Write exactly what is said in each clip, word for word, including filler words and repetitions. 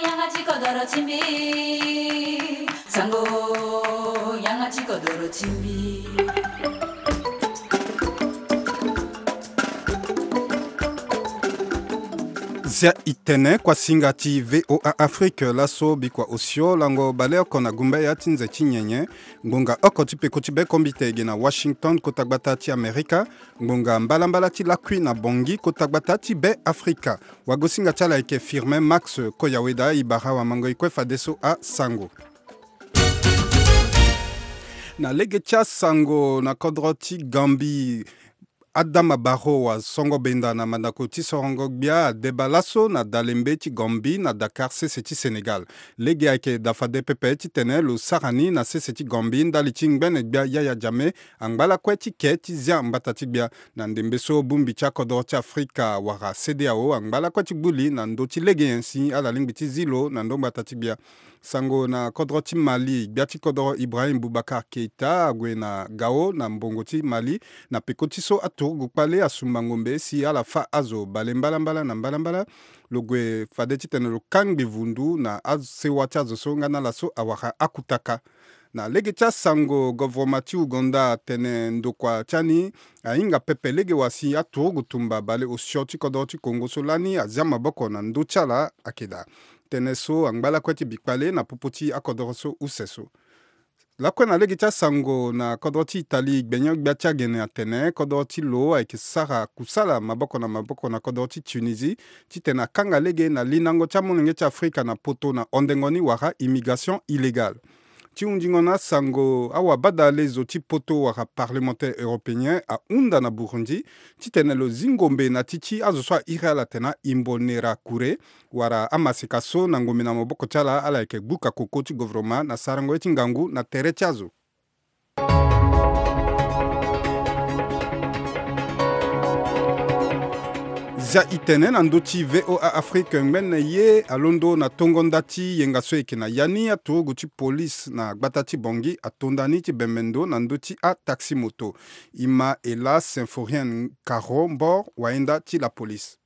Yanga ti kodoro ti mbi, sango, yanga ti kodoro ti mbi. Zia itene kuasinga ti V O A Afrique, laso bikua osio lango baleoko na gumba ya ti nze ti nyenye. Ngbonga oko ti peko ti be kombite ege na Washington, kota gbata ti Amerika. Ngbonga mbalambala ti lakui na Bangui, kota gbata ti be Afrika. Wagosinga ti ala ayeke Firmin Max Koyaweda. E bara wamango e kue fadeso asango. Na lege ti asango na kodro ti Gambie, Adama Barrow asongo benda na mandako ti sorongo gbia adeba laso na dalembe ti Gambie na Dakar, sese ti Sénégal. Lege ayeke da fade pepe titene lo sara ni na sese ti Gambie ndali ti ngbene gbia Yaya Jammeh angba lakue ti ke ti zia mbata ti gbia. Na ndembe so bongbi ti akodro ti Afrika wala CEDEAO angba lakue ti gbu li na ndö ti lege nyen si ala lingbi ti zi lo na ndö mbata ti gbia. Sango na kodro ti Mali, gbia ti kodro Ibrahim Boubacar Keita ague na Gao na mbongo ti Mali na peko ti so aturugu kpale asumba ngombe si ala fâ azo bale mbalambala na mbalambala. Lo gue fade titene lo kangbi vundu na asewa ti azo so nga na ala so awara akutaka. Na lege ti asango, govoroma ti Ouganda atene ndokua ti ani ahinga pepe lege wa si aturugu tumba bale osio ti kodro ti Congo so lani azia maboko na ndö ti ala ayeke daa. Tënë so angba lakue ti bi kpale na popo ti akodro so use so. Lakue na lege ti asango na kodro ti Italie, gbenyo-gbia ti agene atene kodro ti lo ayeke sara kusala maboko na maboko na kodro ti Tunisie titene akanga lege na linango ti amolenge ti Afrika na poto na hondengo ni wala immigration illégale. Ti hunzingo na asango, awabadalezo ti poto wala parlementaire européen ahunda na Burundi titene lo zi ngombe na ti ti azo so airi ala atene a-Imbonerakure wala amaseka so na ngombe na maboko ti ala, ala yeke gbuka koko ti govoroma na sarango ye ti ngangu na tere ti azo. Zia itene na ndö ti V O A Afrique, ngbene ye alondo na tongo nda ti yenga so eke na ya ni, aturugu ti police na gbata ti Bangui atonda ni ti bembe ndo na ndö ti ataxi moto. E ma Ela Symphorien Nkaro Mbor, wayenda ti la police.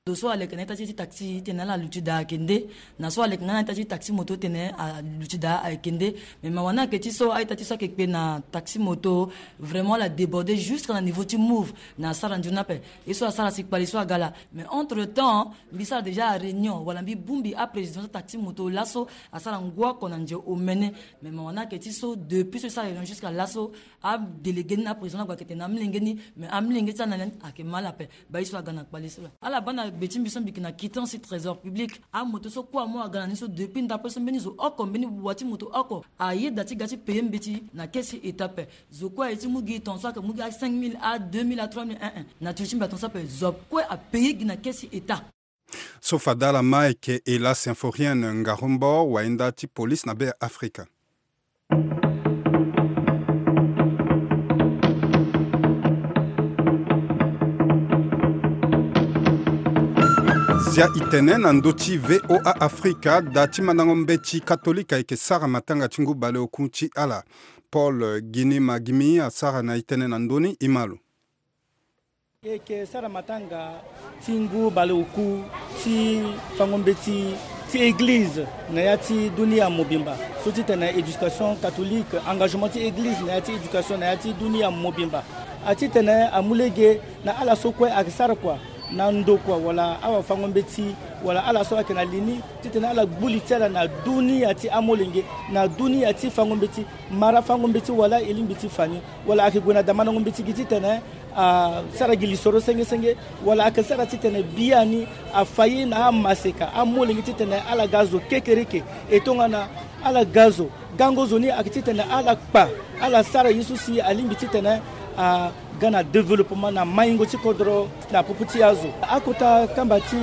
Ndo so aleke na ita ti taxi titene ala luti daa ayeke nde, na so aleke nga na ita ti taxi moto titene aluti daa ayeke nde. Mais mawa ni ayeke ti so a-ita ti so ayeke kpe na taxi moto, vraiment ala débordé jusque na niveau ti move, na asara nzoni ape. Ye so asara si kpale so aga laa. Mais entre temps, mbi sara déjà réunion wala mbi bongbi aprésident ti taxi moto laso asara ngu oko na nze omene. Mais mawa ni ayeke ti so depuis so e sara réunion jusqu'à laso, adélégué ni na aprésident ni ague ayeke tene amolenge ni, mais amolenge ti ala ni ayeke mal ape. Baa ye so aga na kpale so laa. Ala baa na gbe ti mbi so mbi yeke na quittance ti trésor public. Amoto so kue amu aga na ni so depuis ndape so mbeni zo oko, mbeni wa ti moto oko ayeda ti ga ti payer mbeti na caisse ti état ape. Zo kue aye ti mu gi tongaso ayeke mu gi a cinq mille, a deux mille, a trois mille, un un. Na turu ti mbi atongaso ape zo kue apayer gi na caisse ti état. So fade ala ma ayeke Ela Symphorien Ngarumbo, wayenda ti police na Be Afrika. Zia itene na ndö ti V O A Afrika, da ti mandango mbeti katolike ayeke sara matanga ti ngu baleoku ti ala. Paul Ginima Gimi asara na itene na ndö ni, e ma lo. E yeke sara matanga ti ngu baleoku ti fango mbeti ti église na ya ti dunia mobimba. So titene éducation catholique, engagement ti église na ya ti éducation na ya ti dunia mobimba. Atitene amu lege na ala so kue ayeke sara kua na ndokua wala awafango mbeti wala ala so ayeke na li ni, titene ala gbu li ti ala na dunia ti amolenge, na dunia ti fango mbeti, mara fango mbeti wala e lingbi ti fa ni. Wala ayeke gue na damandango mbeti gi titene asara gi lisoro senge senge, wala ayeke sara titene biani afa ye na amaseka amolenge titene ala ga zo kekereke. E tongana ala ga zo, gango zo ni ayeke titene ala kpa, ala sara ye so si alingbi titene aga na développement na maingo ti kodro na popo ti azo. Akota kamba ti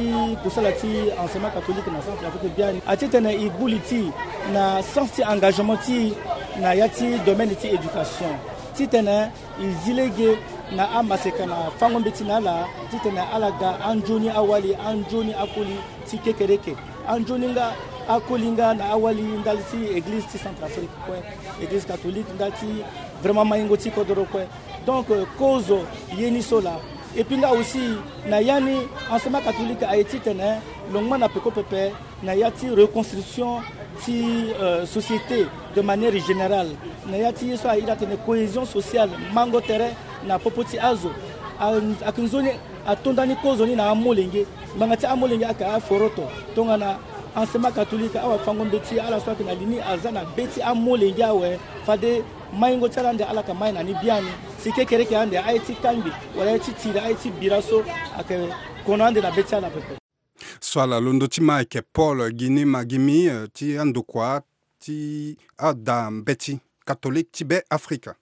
kusala ti enseignement catholique na Centrafrique biani atitene e gbu li ti e na sens ti engagement ti e na ya ti domaine ti éducation, titene e zi lege na amaseka na fango mbeti na ala titene ala ga anzoni awali, anzoni akoli ti kekereke, anzoni nga akoli nga na awali ndali ti église ti Centrafrique kue, église catholique, ndali ti vraiment maingo ti kodoro kue. Donc, euh, kozo ye ni so laa, Et puis nga aussi, na ya ni, enseignement catholique aye ti tene longement na peko pepe na ya ti reconstruction ti, euh, société de manière générale, na ya ti ye so aye atene cohésion sociale, mango tere na popo ti azo. A- ayeke nzoni atonda ni kozoni na amolenge. Ngbanga ti amolenge ayeke aforoto tongana enseignement catholique awe afango mbeti ala so ayeke na li ni aza na be ti amolenge awe. Fade maingo ti ala ande ala yeke mai na ni biani. Si kekereke ande aye ti kangbi wala aye ti tiri aye ti bira so ayeke kono ande na be ti ala pepe. So ala londo ti ma ayeke Paul Guinée Magimi, eh, ti andokua ti ada mbeti catholique ti Be Afrika.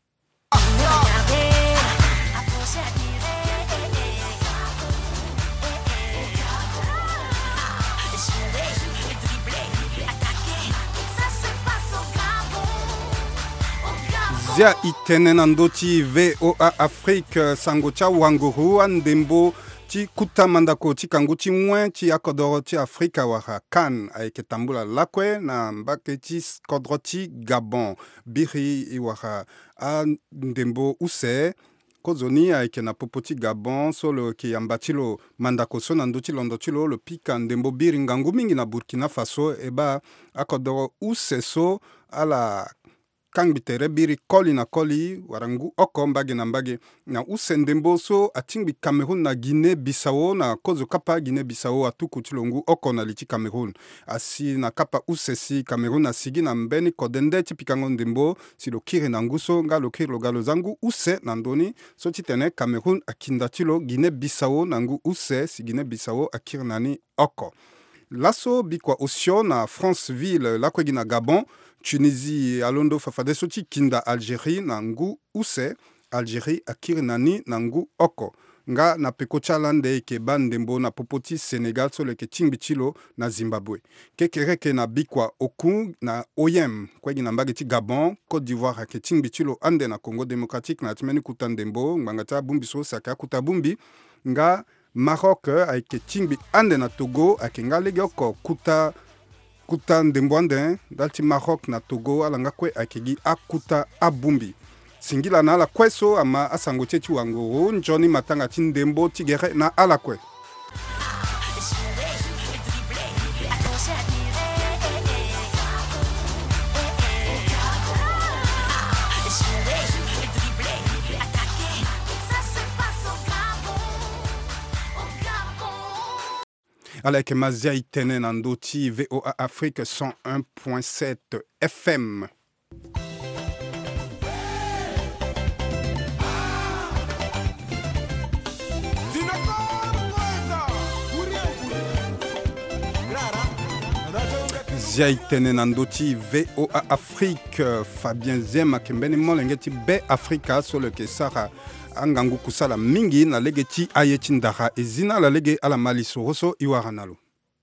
Zia i tene na ndö ti V O A Afrique, sango ti awanguru andembo ti kuta mandako ti kangu ti wen ti akodoro ti Afrika wala CAN ayeke tambula lakue na mbage ti kodro ti Gabon. Biri wala andembo use kozoni ayeke na popo ti Gabon so lo yeke yamba ti lo mandako so na ndö ti londo ti lo, lo pika ndembo biri ngangu mingi na Burkina Faso. E baa akodoro use so ala kangbi tere biri koli na koli wala ngu oko mbage na mbage. Na use ndembo so atingbi Cameroun na Guinée Bissau, na kozo kapa Guinée Bissau atuku ti lo ngu oko na li ti Cameroun. Asi na kapa use si Cameroun asigi na mbeni kode nde ti pikango ndembo si lo kiri na ngu so, nga lo kiri lo ga lo za ngu use na ndö ni so ti tene Cameroun akinda ti lo Guinée Bissau na ngu use si Guinée Bissau akiri na ni oko. Laso bikua osio na Franceville lakue gi na Gabon, Tunisie alondo fafadeso ti kinda Algérie na ngu use, Algérie akiri na ni na ngu oko. Nga na peko ti ala ande e yeke baa ndembo na popo ti Sénégal so lo yeke tingbi ti lo na Zimbabwe. Kekereke na bikua oku na O I M kue gi na mbage ti Gabon, Côte d'Ivoire ayeke tingbi ti lo ande na Congo Démocratique na ya ti mbeni kuta ndembo ngbanga ti abongbi so si ayeke akuta bongbi. Nga Maroc ayeke tingbi ande na Togo, ayeke nga lege oko kuta, kuta ndembo ande. Ndali ti Maroc na Togo ala nga kue ayeke gi akuta abongbi. Singila na ala kue so ama asango ti e ti wanguru. Nzoni matanga ti ndembo ti gere na ala kue. Ala yeke ma zia i tene na ndö ti V O A Afrique cent un point sept F M. Zia i tene na ndö ti V O A Afrique, Fabien Ziem ayeke mbeni molenge ti Be Afrika so lo yeke sara angangu kusala mingi na lege ti aye ti ndara. E zi na ala lege ala ma lisoro so e wara na lo.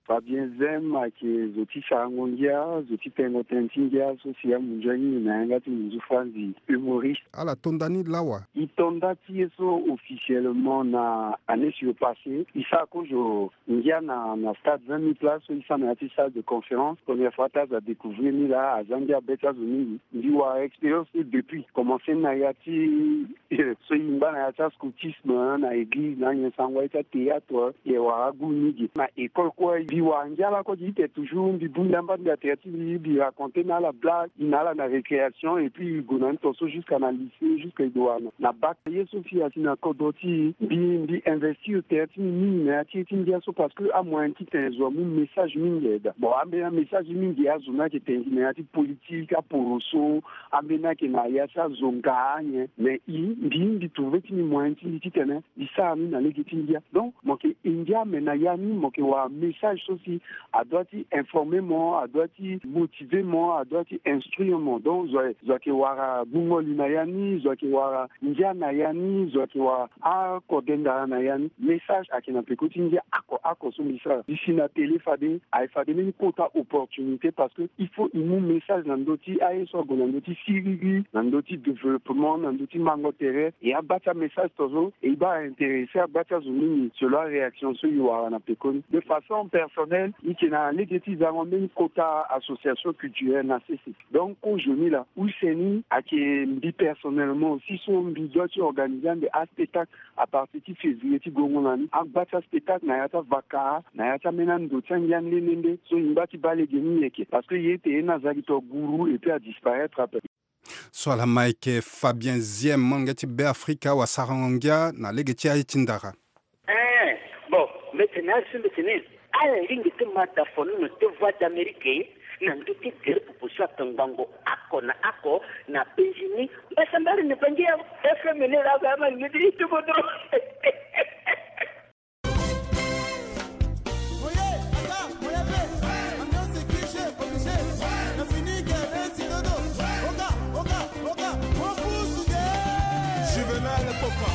Fabien Ziem ayeke zo ti sarango ngia, zo ti tengo tënë ti ngia so si amunzu angingi na yanga ti munzu franzi humoriste. Ala tonda ni lawa? E tonda ti e so officiellement na année surpassée. E sara kozo ngia na, na stade vingt mille places so e sara na ya ti salle de conférence. Première fois ti azo adécouvrir ni laa, aza ngia be ti azo mingi. Mbi wara expérience ni depuis. Commencé na ya ti so e ngba na ya ti ascoutisme na église, na anyen sango aye ti athéâtre, e wara agu ni ge. Na école kue mbi wara ngia lakue ge, e tene toujours mbi bongbi amba mbi na tere ti mbi, mbi raconter na ala blague, e na ala na récréation, et puis e gue na ni tongaso jusqu'à na lycée, jusqu'à e gue wara na, na bac. Ye so si asi na kodro ti e, mbi, mbi investir tere ti mbi mingi na ya ti ye ti ngia so, parce que amoyen ti tene zo amu message mingi aye daa. Bon, ambeni amessage mingi azo ni ayeke tene gi na ya ti politique, aporoso, ambeni ayeke na ya ti azo nga anyen. Mais e, mbi, mbi trouver ti mbi moyen ti mbi titene mbi sara ni na lege ti ngia. Donc mo yeke e ngia, mais na ya ni mo yeke wara message so si adoit ti informer mo, adoit ti motiver mo, adoit ti instruire mo. Donc zo, zo ayeke wara gbungo li na ya ni, zo ayeke wara ngia na ya ni, zo ayeke wara akode ndara na ya ni. Message ayeke na peko ti ngia oko oko so mbi sara. Mbi si na télé fade, aye fade mbeni kota opportunité, parce que il faut e mu message na ndö ti aye so ague na ndö ti siriri, na ndö ti développement, na ndö ti mango tere. E agba ti amessage tongaso, e baa intéressé agba ti azo mingi selon aréaction so e wara na pekoni. De façon personnelle, Personnel, e yeke na lege ti zango mbeni kota association culturelle na sese. Donc kozoni laa use ni ayeke mbi personnellement aussi so mbi doit ti organiser ande aspectacle à partir ti février ti gongo na ni. Agba ti aspectacle na ya ti avaka, na ya ti ambeni ando ti angia nde nde nde so e ngba ti baa lege ni yeke. Parce que ye ete ye ni aza gi to guru et puis adisparaître ape. So ala ma yeke Fabien Ziem, molenge ti Beafrika, wasarango ngia na lege ti aye ti ndara. Eh, bon, mbi tene azo so mbi tene ala lingbi ti ma da fono na te Voix d'Amérique na ndö ti gere popo so ato ngbongo oko na oko na penzi ni. Mbasambara na Bangui, F M ni laa aba ama lingbi ti tuku dro. Juvenal Koka.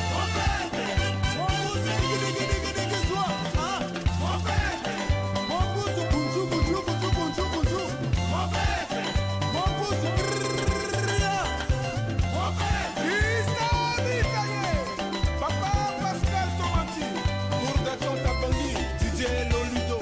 Papa Pascal Tomati, Bourdaton Tabangi, Didier Loludo,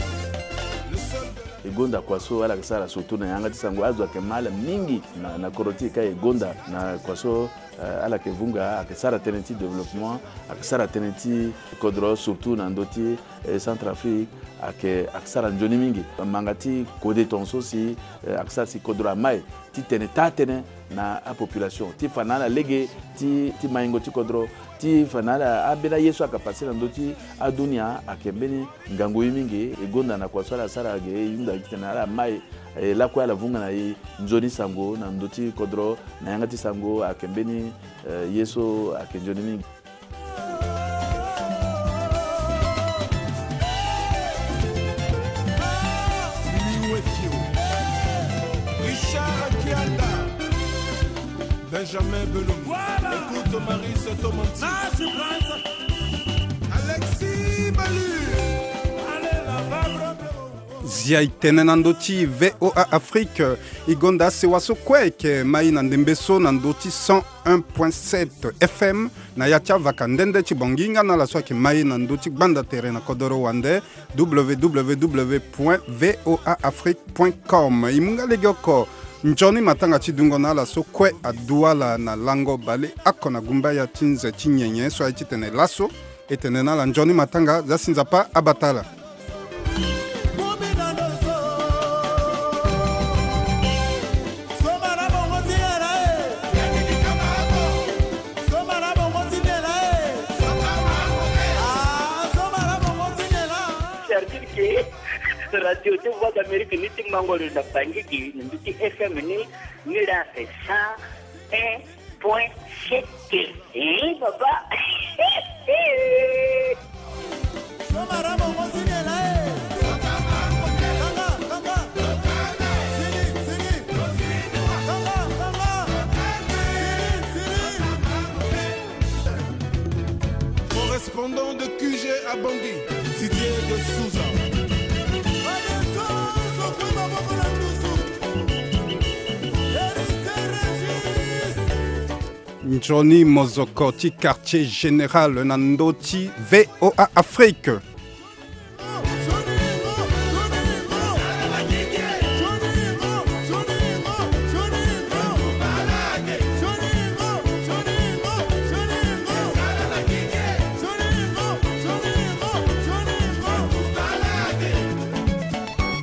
le seul de la E gonda kua so ala yeke sara surtout na yanga ti sango, azo ayeke ma ala mingi na, na kodro ti e kâ. E gonda na kua so, eh, ala yeke vunga, ayeke sara tënë ti développement, ayeke sara tënë ti kodro surtout na ndö ti, eh, Centrafrique, ayeke, ayeke sara nzoni mingi. Manga ti kode tongaso si, eh, ayeke sara si kodro ama e ti tene taa-tënë na apopulation ti fa na ala lege ti, ti maingo ti kodro, ti fa na ala ambeni aye so ayeke pase na ndö ti adunia ayeke mbeni ngangu ye mingi. E gonda na kua so ala sara ge, e hunda titene ala ma e, e lakue ala vunga na e nzoni sango na ndö ti kodro na yanga ti sango ayeke mbeni, eh, ye so ayeke nzoni mingi. Richard Kianda, Benjamin Belombo, écoute Maurice Tomanti, Alexis Balu. Zia e tene na ndö ti V O A Afrique, e gonda sewa so kue e yeke ma e na ndembe so na ndö ti cent un point sept F M na ya ti avaka nde nde ti Bangui, nga na ala so ayeke ma e na ndö ti gbanda tere na kodoro wande, W W W point V O A Afrique point com. E mu nga legeoko nzoni matanga ti dungo na ala so kue adu ala na lango baleoko na gumbaya ti nze ti nyenye so aye titene laso. E tene na ala nzoni matanga, za si Nzapa abata ala. Servir ke radio ti Voix d'Amérique ni ti mango lo na Bangui gi na ndö ti F M ni, ni la cent un point sept. Eh, papa. Correspondant de Q G à Bangui, Didier de Souza. Nzoni mozoko ti quartier général na ndö ti V O A Afrique.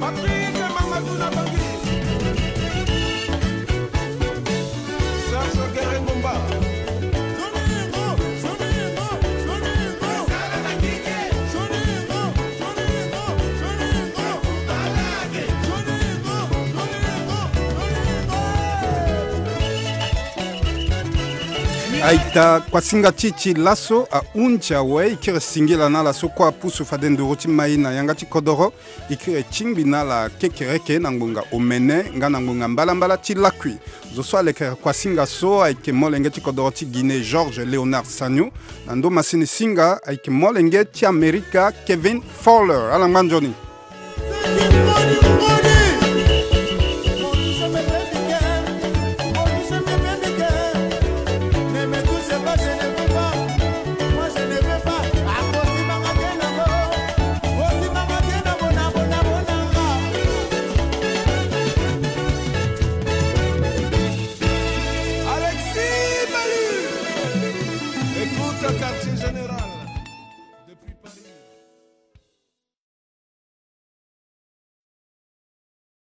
Patrick Mamadou na Bangui. Serge Guerre Ngomba. Aita, kuasinga ti e ti laso ahunzi awe. E kiri singila na ala so kue apusu fade nduru ti mai na yanga ti kodoro. E kiri tingbi na ala kekereke na ngbonga omene nga na ngbonga mbalambala ti lakui. Zo so alekere kuasinga so ayeke molenge ti kodoro ti Guinée, Georges Léonard Sagnou. Na ndo masini singa ayeke molenge ti Amerika, Kevin Fowler. Ala ngba nzoni.